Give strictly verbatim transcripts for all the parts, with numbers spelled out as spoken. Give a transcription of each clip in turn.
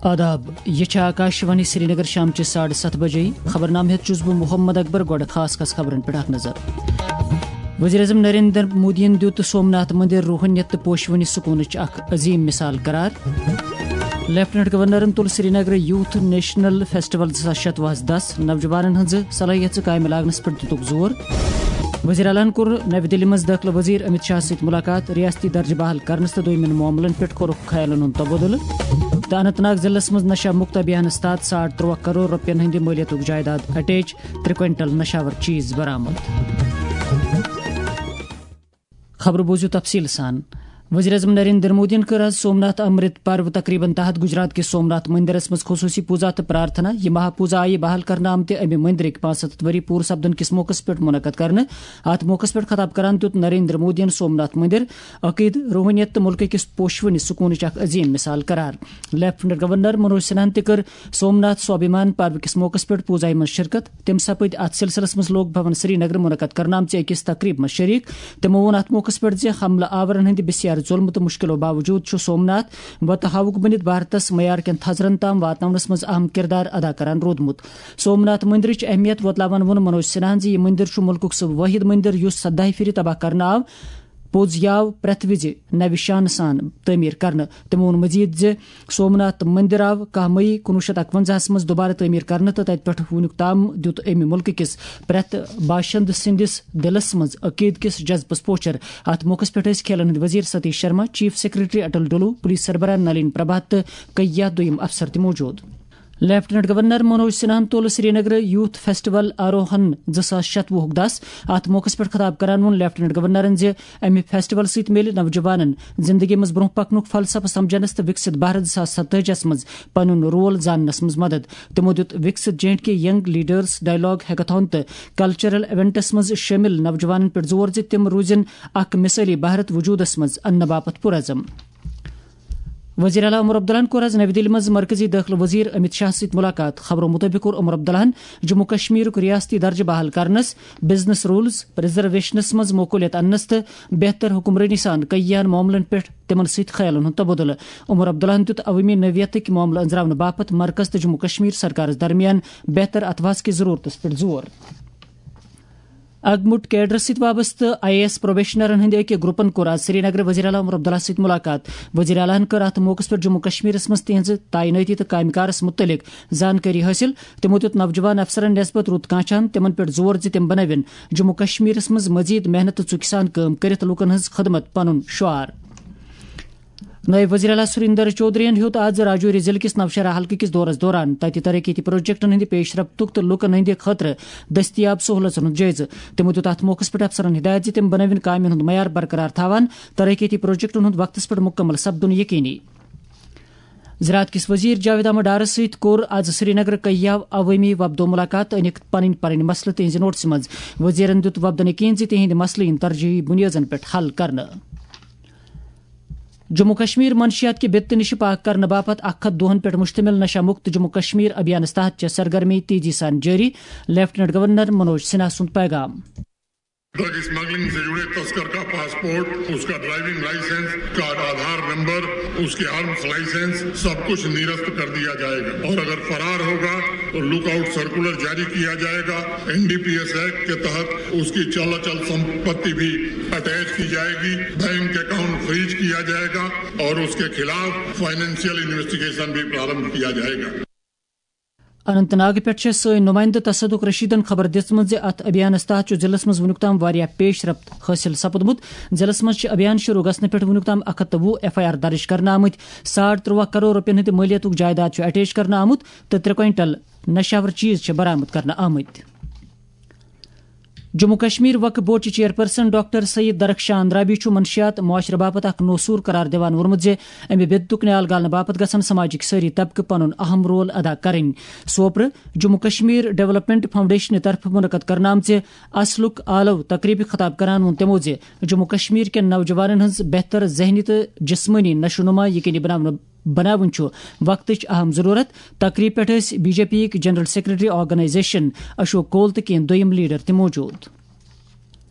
آداب، یہِ چھےٚ آکاشوانی سرینگر، شامچہِ ساڑٕ ستھ بجے۔ خبرنامہٕ ہیتھ چھُس بہٕ محمد اکبر۔ گۄڈٕ خاص خاص خبرن پٮ۪ٹھ اکھ نظر۔ وزیر اعظم نریندر مودیَن دیُت سومناتھ مندر روحٲنیت تہٕ پوشوٕنہِ سکوٗنٕچ اکھ عظیٖم مثال قرار۔ لیفٹیننٹ گورنرن تُل سرینگرٕ یوتھ نیشنل فیسٹیول زٕ ساس شتوُہس دس، نوجوانن ہٕنٛزٕ صلٲحیژٕ کامہِ لاگنس پٮ۪ٹھ دِتُکھ زور۔ وزیر اعلیٰ ہن کوٚر نَوِ دِلہِ منٛز دٲخلہٕ وزیر امت شاہ سۭتۍ مُلاقات، ریاستی درجہٕ بحال کرنس تہٕ دوٚیمٮ۪ن معاملن پٮ۪ٹھ کوٚرُکھ خیالن ہُنٛد تبادلہٕ۔ تہٕ اننت ناگ ضلعس منٛز نشہ مکت ابھیانس تحت ساڑ ترٛواہ کرور رۄپین ہٕنٛدِ مٲلیتُک جائیداد اٹیچ، ترٛےٚ کوینٹل نشاور چیز برآمد۔ خبرٕ بوٗزِو تفصیٖل سان۔ وزیر اعظم نریندر مودیَن کٔر آز سومناتھ امرت پرو تقریبن تحت گجرات کِس سومناتھ مندرس منٛز خصوٗصی پوٗزا تہٕ پرارتھنا۔ یہِ مہا پوٗزا آیہِ بحال کرنہٕ آمتہِ امہِ مندرٕکۍ پانٛژھ ہتھ ؤری پوٗرٕ سپدن کِس موقعس پٮ۪ٹھ منعقد کرنہٕ۔ اتھ موقعس پٮ۪ٹھ خطاب کران دیُت نریندر مودیَن سومناتھ مندر عقیدٕ، روحٲنیت تہٕ مُلکہٕ کِس پوشوٕنہِ سکوٗنٕچ اکھ عظیٖم مثال قرار۔ لیفٹیننٹ گورنر منوج سنہاہن تہِ کٔر سومناتھ سوابھیمان پرو کِس موقعس پٮ۪ٹھ پوٗزایہِ منٛز شرکت۔ تِم سپٕدۍ اتھ سلسلس منٛز لوک بھون سرینگرٕ منعقد کرنہٕ آمژِ أکِس تقریب منٛز شریک۔ تِمو ووٚن اتھ موقعس پٮ۪ٹھ زِ حملہٕ آورن ہٕنٛدِ بسیار ظلمہٕ تہٕ مُشکلو باوجود چھُ سومناتھ وتہٕ ہاوُک بٔنِتھ بھارتس معیار کٮ۪ن تھزرن تام واتناونس منٛز اہم کردار ادا کران روٗدمُت۔ سومناتھ مندرٕچ اہمیت وۄتلاوان ووٚن منوج سنہاہن زِ یہِ مندر چھُ مُلکُک سُہ وٲحد مندر یُس سداہہِ پھِرِ تباہ کرنہٕ آو۔ پوٚز یاو پرٛٮ۪تھ وِزِ نوِ شانہٕ سان تعمیٖر کرنہٕ۔ تِمو ووٚن مزید زِ سومناتھ مندر آو کاہ مئی کُنوُہ شیٚتھ اکونزاہس منٛز دوبارٕ تعمیٖر کرنہٕ تہٕ تتہِ پٮ۪ٹھ وُنیُک تام دیُت امہِ مُلکہٕ کِس پرٛٮ۪تھ باشندٕ سٕنٛدِس دِلس منٛز عقیدٕ کِس جذبس پوچھر۔ اتھ موقعس پٮ۪ٹھ ٲسۍ کھیلن ہٕنٛدۍ وزیر ستیش شرما، چیف سیکرٹری اٹل ڈولو، پولیس سربراہ نلین پربھات تہٕ کئی دۄیم افسر تہِ موجود۔ لیفٹیننٹ گورنر منوج سنہاہن تُل سرینگرٕ یوتھ فیسٹیول آروہن زٕ ساس شتوُہُک دس۔ اتھ موقعس پٮ۪ٹھ خطاب کران ووٚن لیفٹیننٹ گورنرن زِ امہِ فیسٹیول سۭتۍ میلہِ نوجوانن زندگی منٛز برونٛہہ پکنُک فلسفہٕ سمجھنس تہٕ وِکسِت بھارت زٕ ساس ستٲجی ہس منٛز پنُن رول زاننس منٛز مدد۔ تِمو دیُت Viksit J and K young leaders dialogue hackathon تہٕ کلچرل ایونٹس منٛز شٲمِل نوجوانن پٮ۪ٹھ زور زِ تِم روٗزِن اکھ مثٲلی بھارت وجودس منٛز اننہٕ باپتھ پُرعزم۔ وزیر اعلیٰ عمر عبداللہن کوٚر آز نَوِ دِلہِ منٛز مرکزی دٲخلہٕ وزیر امت شاہ سۭتۍ مُلاقات۔ خبرو مُطٲبِق کوٚر عمر عبداللہن جموں کشمیرُک ریاستی درجہٕ بحال کرنس، بزنس رولز، ریزرویشنس منٛز معقولیت اننس تہٕ بہتر حکمرٲنی سان کئیہن معاملن پٮ۪ٹھ تِمن سۭتۍ خیالن ہُنٛد تبادلہٕ۔ عمر عبداللہن دیُت عوٲمی نوعیتٕکۍ معاملہٕ أنٛزراونہٕ باپتھ مرکز تہٕ جموں کشمیر سرکارس درمیان بہتر اتفاق کِس ضرورتس پٮ۪ٹھ زور۔ اگمُٹ کیڈرس سۭتۍ وابستہٕ آئی اے ایس پروبیشنرن ہٕنٛدِ أکۍ گروپن کوٚر آز سرینگرٕ وزیر اعلیٰ عمر عبداللہ سۭتۍ مُلاقات۔ وزیر اعلیٰ ہن کٔر اتھ موقعس پٮ۪ٹھ جموں کشمیرس منٛز تِہنٛزِ تعینٲتی تہٕ کامہِ کارس مُتعلق زانکٲری حٲصِل۔ تِمو دیُت نوجوان افسرن نسبت رُت کانچھان، تِمن پٮ۪ٹھ زور زِ تِم بنٲوِن جموں کشمیرس منٛز مزید محنت تہٕ ژُکہِ سان کٲم کٔرِتھ لوٗکن ہٕنٛز خدمت پنُن شعار۔ نٲیِب وزیر اعلیٰ سُریندر چودھرین ہیوٚت آز راجوری ضلعہٕ کِس نوشہرہ حلقہٕ کِس دورس دوران تتہِ ترقیتی پروجیکٹن ہٕنٛدِ پیش رفتُک تہٕ لوٗکن ہٕنٛدِ خٲطرٕ دٔستیاب سہوٗلژن ہُنٛد جٲیزٕ۔ تِمو دیُت اتھ موقعس پٮ۪ٹھ افسرن ہدایت زِ تِم بنٲوِن کامٮ۪ن ہُنٛد معیار برقرار تھاوان، ترقیتی پروجیکٹن ہُنٛد وقتس پٮ۪ٹھ مُکمل سپدُن یقینی۔ زراعت کِس وزیر جاوید احمد ڈارس سۭتۍ کوٚر آز سرینگرٕ کئیہو عوٲمی وفدو مُلاقات تہٕ أنِکھ پنٕنۍ پنٕنۍ مسلہٕ تِہنٛزِ نوٹسہِ منٛز۔ وزیرن دیُت وفدن یقین زِ تِہنٛدۍ مسلہٕ یِن ترجیحی بُنیٲدن پٮ۪ٹھ حل کرنہٕ۔ جموں کشمیر منشیات کہِ بدتہٕ نِش پاک کرنہٕ باپتھ اکھ ہتھ دۄہن پٮ۪ٹھ مشتمل نشہ مکت جموں کشمیر ابھیانس تحت چھےٚ سرگرمی تیزی سان جٲری، لیفٹیننٹ گورنر منوج سنہا سُنٛد پیغام۔ ڈرگ اسمگلنگ سے جڑے تسکر کا پاسپورٹ، اس کا ڈرائیونگ لائسنس، اس کا آدھار نمبر، اس کے آرمز لائسنس، سب کچھ نرست کر دیا جائے گا اور اگر فرار ہوگا تو لک آؤٹ سرکولر جاری کیا جائے گا۔ N D P S act کے تحت اس کی چل اچل سمپتی بھی اٹیچ کی جائے گی، بینک اکاؤنٹ فریز کیا جائے گا اور اس کے خلاف فائنینشیل انویسٹیگیشن بھی پرارمبھ کیا جائے گا۔ اننت ناگ پٮ۪ٹھ چھےٚ سٲنۍ نُمٲیندٕ تصدق رشیدن خبر دِژمٕژ زِ اتھ ابھیانس تحت چھُ ضلعس منٛز وُنیُک تام واریاہ پیش رفت حٲصِل سپُدمُت۔ ضلعس منٛز چھِ ابھیان شروع گژھنہٕ پٮ۪ٹھ وُنیُک تام اکھ ہتھ تہٕ وُہ ایف آئی آر درج کرنہٕ آمٕتۍ، ساڑ ترٛواہ کرور رۄپین ہٕنٛدِ مٲلیتُک جائیداد چھُ اٹیچ کرنہٕ آمُت تہٕ ترٛےٚ کوینٹل نشاور چیز چھِ برآمد کرنہٕ آمٕتۍ۔ جموں کشمیر وقف بورڈ چہِ چیئرپرسن ڈاکٹر سید درخشان رابی چھُ منشیات معاشرٕ باپتھ اکھ نوسور قرار دِوان ووٚنمُت زِ امہِ بدعتُک نیال گالنہٕ باپتھ گژھن سماجٕکۍ سٲری طبقہٕ پنُن اہم رول ادا کرٕنۍ۔ سوپرٕ جموں کشمیر ڈیولپمنٹ فاؤنڈیشنہِ طرفہٕ منعقد کرنہٕ آمژِ اصلُک آلو تقریبہِ خطاب کران ووٚن تِمو زِ جموں کشمیر کٮ۪ن نوجوانن ہٕنٛز بہتر ذہنی تہٕ جسمٲنی نشو نما یقینی بناونہٕ بناوٕنۍ چھُ وقتٕچ اہم ضرورت۔ تقریب پٮ۪ٹھ ٲسۍ بی جے پی یٕکۍ جنرل سیکرٹری آرگنائزیشن اشوک کول تہٕ کینٛہہ دوٚیِم لیڈر تہِ موجود۔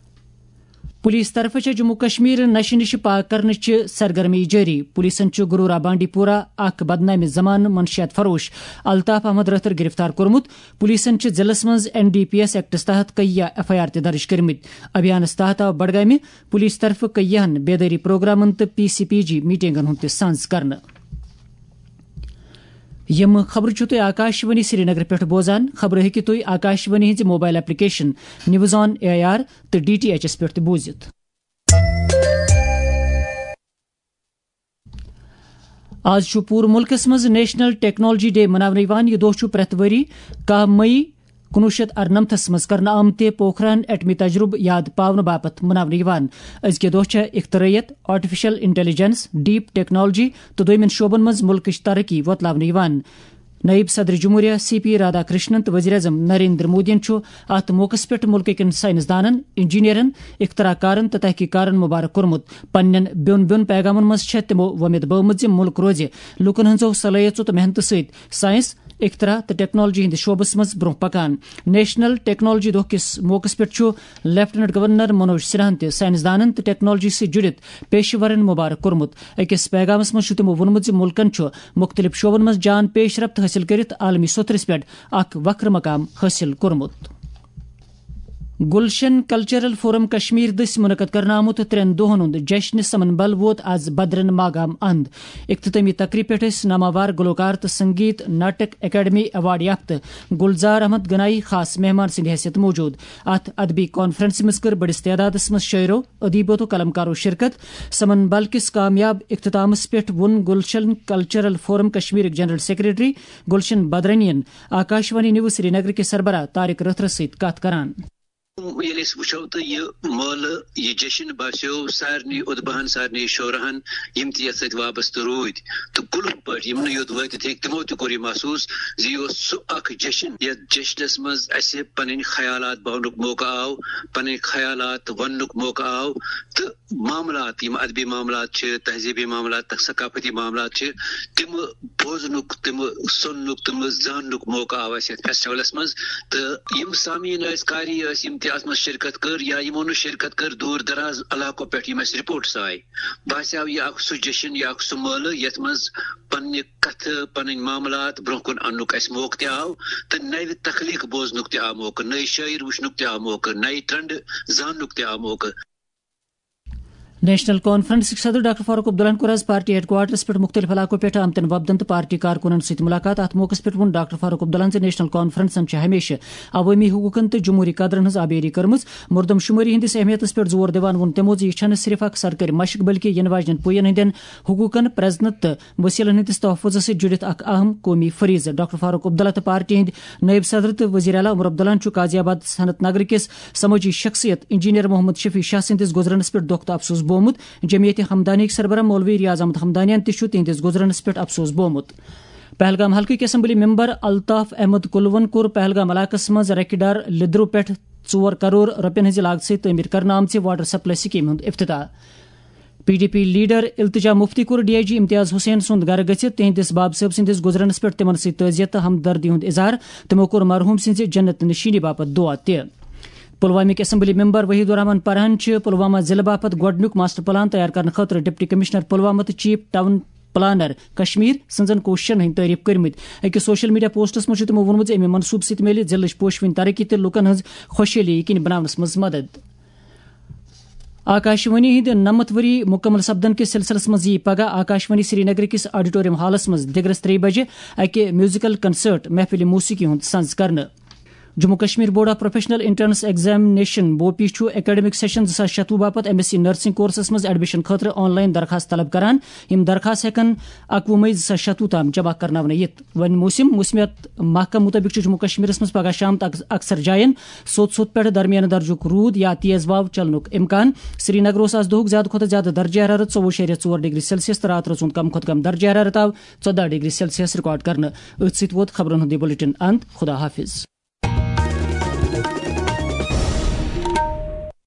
پولیس طرفہٕ چھےٚ جموں کشمیر نشہٕ نِش پاک کرنٕچ سرگرمی جٲری۔ پولیسن چھُ گرورا بانڈی پورہ اکھ بدنامہِ زمانہٕ منشیات فروش الطاف احمد رٲتھر گرفتار کوٚرمُت۔ پولیسن چھِ ضلعس منٛز این ڈی پی ایس ایکٹس تحت کیہ ایف آئی آر تہِ درج کٔرمٕتۍ۔ ابھیانس تحت آو بڈگامہِ پولیس طرفہٕ کیہن بیدٲری پروگرامن تہٕ پی سی پی جی میٹنگن ہُنٛد تہِ سانز کرنہٕ۔ یِم خبرٕ چھِو تُہۍ آکاشوانی سرینگر پٮ۪ٹھ بوزان۔ خبرٕ ہیٚکِو تُہۍ آکاشوانی ہٕنٛزِ mobile application news on A I R تہٕ ڈی ٹی ایچ ایس پٮ۪ٹھ تہِ بوٗزِتھ۔ آز چھُ پوٗرٕ مُلکَس منٛز نیشنل ٹیکنالوجی ڈے مناونہٕ یِوان۔ یہِ دۄہ چھُ پرٛٮ۪تھ ؤری کاہ مئی کُنوُہ شیٚتھ اَرنَمتھس منٛز کرنہٕ آمتہِ پوکھران ایٹمی تجرُبہٕ یاد پاونہٕ باپتھ مناونہٕ یِوان۔ أزکہِ دۄہ چھےٚ اختراعیت، آرٹیفیشل انٹیلیجنس، ڈیپ ٹیکنالوجی تہٕ دوٚیمٮ۪ن شعبن منٛز مُلکٕچ ترقی وۄتلاونہٕ یِوان۔ نائب صدر جمہوریہ سی پی رادھا کرشنن تہٕ وزیر اعظم نریندر مودیَن چھُ اَتھ موقعَس پٮ۪ٹھ مُلکٕکٮ۪ن ساینس دانن، انجینئرن، اختراع کارن تہٕ تحقیق کارن مبارک کوٚرمُت۔ پننٮ۪ن بیوٚن بیوٚن پیغامن منٛز چھےٚ تِمو وۄمید بٲومٕژ زِ مُلک روزِ لوٗکن ہٕنٛزو صلٲحیژو تہٕ محنتہٕ سۭتۍ ساینس، اختراع تہٕ ٹیکنالوجی ہٕنٛدِس شعبس منٛز برٛونٛہہ پکان۔ نیشنل ٹیکنالوجی دۄہ کِس موقعس پٮ۪ٹھ چھُ لیفٹیننٹ گورنر منوج سنہاہن تہِ ساینس دانن تہٕ ٹیکنالوجی سۭتۍ جُڑِتھ پیشہٕ ورن مبارک کوٚرمُت۔ أکِس پیغامس منٛز چھُ تِمو ووٚنمُت زِ مُلکن چھُ مُختٔلِف شعبن منٛز جان پیش رفت حٲصِل کٔرِتھ عالمی سطحس پٮ۪ٹھ اکھ وکھرٕ مقام حٲصِل کوٚرمُت۔ گلشن کلچرل فورم کشمیر دٔسۍ منعقد کرنہٕ آمُت ترٛٮ۪ن دۄہن ہُنٛد جشن سمن بل ووت از بدرن ماگام اند۔ اختتٲمی تقریب پٮ۪ٹھ ٲسۍ ناماوار گلوکار تہٕ سنگیت ناٹک اکیڈمی ایوارڈ یافتہٕ گلزار احمد گنایی خاص مہمان سٕنٛدِ حیثیت موجود۔ اتھ ادبی کانفرنسہِ منٛز کٔر بٔڑِس تعدادس منٛز شٲعرو، ادیبو تہٕ قلمکارو شرکت۔ سمن بل کِس کامیاب اختتامس پٮ۪ٹھ ووٚن گلشن کلچرل فورم کشمیرٕکۍ جنرل سیکرٹری گلشن بدرنین آکاشوانی نیوز سرینگر کِس سربراہ طارق رٲتھرس سۭتۍ کتھ کران۔ ییٚلہِ أسۍ وٕچھو تہٕ یہِ مٲلہٕ، یہِ جشن باسیو سارنٕے اُدبہن، سارنٕے شعراہن، یِم تہِ یتھ سۭتۍ وابستہٕ روٗدۍ، تہٕ کُلہُم پٲٹھۍ یِم نہٕ یوٚت وٲتِتھ ہیٚکۍ، تِمو تہِ کوٚر یہِ محسوٗس زِ یہِ اوس سُہ اکھ جشن، یتھ جشنس منٛز اسہِ پنٕنۍ خیالات باونُک موقعہٕ آو، پنٕنۍ خیالات وننُک موقعہٕ آو، تہٕ معاملات، یِم ادبی معاملات چھِ، تہذیبی معاملات، ثقافتی معاملات چھِ، تِم بوزنُک، تِم سُننُک، تِم زاننُک موقعہٕ آو اسہِ یتھ فیسٹیولس منٛز۔ تہٕ یِم سامعیٖن ٲسۍ، قاری ٲسۍ، یِم تہِ اتھ منٛز شرکت کٔر یا یِمو نہٕ شرکت کٔر، دوٗر دراز علاقو پٮ۪ٹھ یِم اسہِ رپورٹس آے، باسیو یہِ اکھ سُہ جشن، یہِ اکھ سُہ مٲلہٕ یتھ منٛز پننہِ کتھٕ، پنٕنۍ معاملات برونٛہہ کُن اننُک اسہِ موقعہٕ تہِ آو، تہٕ نوِ تخلیق بوزنُک تہِ آو موقعہٕ، نٔے شٲعر وٕچھنُک تہِ آو موقعہٕ، نوِ ٹرنڈ زاننُک تہِ آو موقعہٕ۔ نیشنل کانفرنسٕکۍ صدر ڈاکٹر فاروق عبداللہن کوٚر آز پارٹی ہیڈ کوارٹرس پٮ۪ٹھ مُختٔلِف علاقو پٮ۪ٹھ آمتٮ۪ن وفدن تہٕ پارٹی کارکُنن سۭتۍ مُلاقات۔ اَتھ موقعس پٮ۪ٹھ ووٚن ڈاکٹر فاروق عبداللہن زِ نیشنل کانفرنسن چھِ ہمیشہِ عوٲمی حقوٗقن تہٕ جمہوٗری قدرن ہٕنٛز آبیٲری کٔرمٕژ۔ مردم شُمٲری ہٕنٛدِس اہمیتس پٮ۪ٹھ زور دِوان ووٚن تِمو زِ یہِ چھَنہٕ صرف اکھ سرکٲرۍ مشق، بلکہِ یِنہٕ واجنٮ۪ن پُیَن ہٕنٛدٮ۪ن حقوٗقن، پرٛزنت تہٕ وسیلن ہٕنٛدِس تحفظس سۭتۍ جُڑِتھ اکھ اہم قومی فریضہٕ۔ ڈاکٹر فاروق عبداللہ تہٕ پارٹی ہٕنٛدۍ نٲیِب صدر تہٕ وزیر اعلیٰ عمر عبداللہن چھُ قاضی آباد صنعت نگر کِس سمٲجی شخصیت انجینئر محمد شفیع شاہ سٕنٛدِس گُزرنس پٮ۪ٹھ دۄکھ تہٕ افسوس بوومُت۔ جمعیت ہمدانیٕکۍ سربراہ مولوی ریاض احمد ہمدانیان تہِ چھُ تِہنٛدِس گُزرنس پٮ۪ٹھ افسوس بوومُت۔ پہلگام حلقٕکۍ اسمبلی ممبر الطاف احمد کلوَن کوٚر پہلگام علاقس منٛز رکہِ ڈار لیدرو پٮ۪ٹھ ژور کرور رۄپین ہٕنٛزِ لاگژٕ سۭتۍ تعمیٖر کرنہٕ آمژِ واٹر سپلائی سکیمہِ ہُنٛد افتتاح۔ پی ڈی پی لیڈر التجا مفتی کوٚر ڈی آئی جی امتیاز حسین سُنٛد گرٕ گٔژھِتھ تِہنٛدِس باب صٲب سٕنٛدِس گُزرنس پٮ۪ٹھ تِمن سۭتۍ تعزیت تہٕ ہمدردی ہُنٛد اظہار۔ تِمو کوٚر مرحوم سٕنٛزِ جنت نشیٖنی باپتھ دُعا تہِ۔ پلوامٕکۍ اسمبلی ممبر وحید الرحمان پرہن چھِ پلوامہ ضلعہٕ باپتھ گۄڈٕنیُک ماسٹر پلان تیار کرنہٕ خٲطرٕ ڈپٹی کمشنر پلوامہ تہٕ چیف ٹاؤن پلانر کشمیر سٕنٛزن کوٗششن ہٕنٛدۍ تعریف کٔرمٕتۍ۔ أکِس سوشل میڈیا پوسٹس منٛز چھُ تِمو ووٚنمُت زِ اَمہِ منصوٗبہٕ سۭتۍ میلہِ ضلعٕچ پوشوٕنۍ ترقی تہٕ لوٗکن ہٕنٛز خۄشحٲلی یقینی بناونس منٛز مدد۔ آکاشوانی ہٕنٛدِ نَمَتھ ؤری مُکمل سپدن کِس سلسلس منٛز یِیہِ پگاہ آکاشوانی سرینگر کِس آڈیٹوریم ہالس منٛز دِگرس ترٛیٚیہِ بجہِ اکہِ میوزیکل کنسرٹ محفل موسیقی ہُنٛد سنز کرنہٕ۔ Jammu Kashmir board of professional entrance examination, BOPEE, چھُ اکیڈمک سیشن زٕ ساس شتوُہ باپتھ M S C nursing courses منٛز ایڈمیشن خٲطرٕ آن لائن درخاست طلب کران۔ یِم درخاست ہٮ۪کن اکوُہ مئی زٕ ساس شتوُہ تام جمع کرناونہٕ یِتھ۔ وۄنۍ موسم، موسمیات محکمہٕ مُطٲبِق چھُ جموں کشمیرس منٛز پگاہ شام تک اکثر جاین سوٚت سوٚت پٮ۪ٹھ درمیانہٕ درجُک روٗد یا تیز واو چلنُک امکان۔ سرینگر اوس آز دۄہُک زیادٕ کھۄتہٕ زیادٕ درجہ حرارت ژوٚوُہ اَشاریہ ژور ڈگری سیلسیس تہٕ راتہٕ رٲژ ہُنٛد کم کھۄتہٕ کم درجہ حرارت آو ژۄداہ ڈگری سیلسیس ریکارڈ کرنہٕ۔ أتھۍ سۭتۍ ووت خبرن ہُنٛد یہِ بلیٹن اند۔ خدا حافظ۔